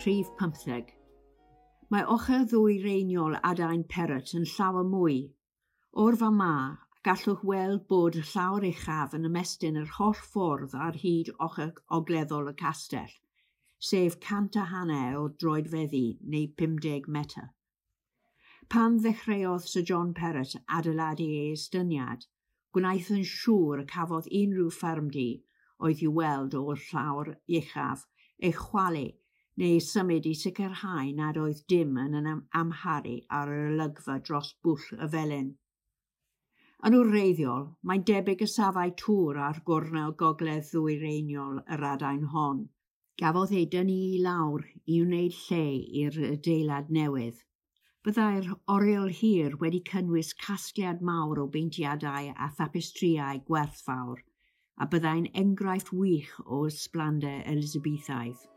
rhif 15. Mae ochr ddwyreiniol adain Perrott yn llawer mwy. O'r fan 'ma, gallwch weld bod y llawr uchaf yn ymestyn yr holl ffordd ar hyd ochr ogleddol y castell, sef 150 o droedfeddi neu 50 metr. Pan ddechreuodd Sir John Perrott adeiladu ei estyniad, gwnaeth yn siŵr y cafodd unrhyw ffermdy oedd i'w weld o'r llawr uchaf ei chwalu neu ei symud i sicrhau nad oedd dim yn amharu ar yr olygfa dros bwll y felin. Yn wreiddiol, mae'n debyg y safai tŵr ar gornel gogledd ddwyreiniol yr adain hon. Gafodd ei dynnu i lawr i wneud lle i'r adeilad newydd. Byddai'r oriel hir wedi cynnwys casgliad mawr o beintiadau a thapestrïau gwerthfawr, a byddai'n enghraifft wych o ysblander Elizabethaidd.